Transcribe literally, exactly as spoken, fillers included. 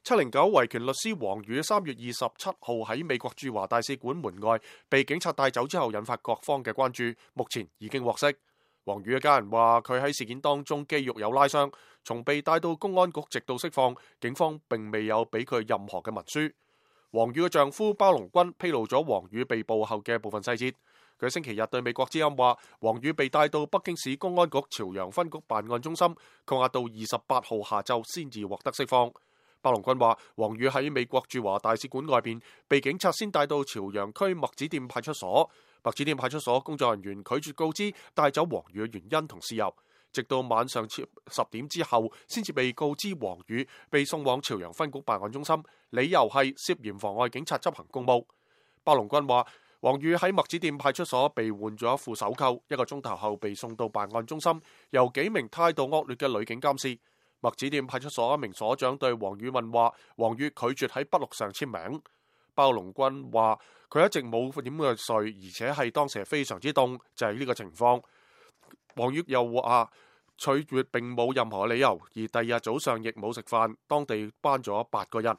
七零九維權律師王宇三月二十七號喺美國駐華大使館門外被警察帶走之後，引發各方嘅關注。目前已經獲釋。王宇嘅家人話，佢喺事件當中肌肉有拉傷，從被帶到公安局直到釋放，警方並未有俾佢任何嘅文書。王宇嘅丈夫包龍軍披露咗王宇被捕後嘅部分細節。佢星期日對美國之音話，王宇被帶到北京市公安局朝陽分局辦案中心，扣押到二十八號下晝先至獲得釋放。包龍軍話，王宇喺美國駐華大使館外邊被警察先帶到朝陽區麥子店派出所，麥子店派出所工作人員拒絕告知帶走王宇嘅原因同事由，直到晚上十點之後先至被告知王宇被送往朝陽分局辦案中心，理由係涉嫌妨礙警察執行公務。包龍軍話，王宇喺麥子店派出所被換咗一副手銬，一個鐘頭後被送到辦案中心，由幾名態度惡劣嘅女警監視。麥子店派出所一名所長對王宇問話，王宇拒絕喺筆錄上簽名。包龍軍話，佢一直冇點嘅睡，而且係當時係非常之凍，就係呢個情況。王宇又話，拒絕並冇任何理由，而第二日早上亦冇食飯，當地班咗八個人。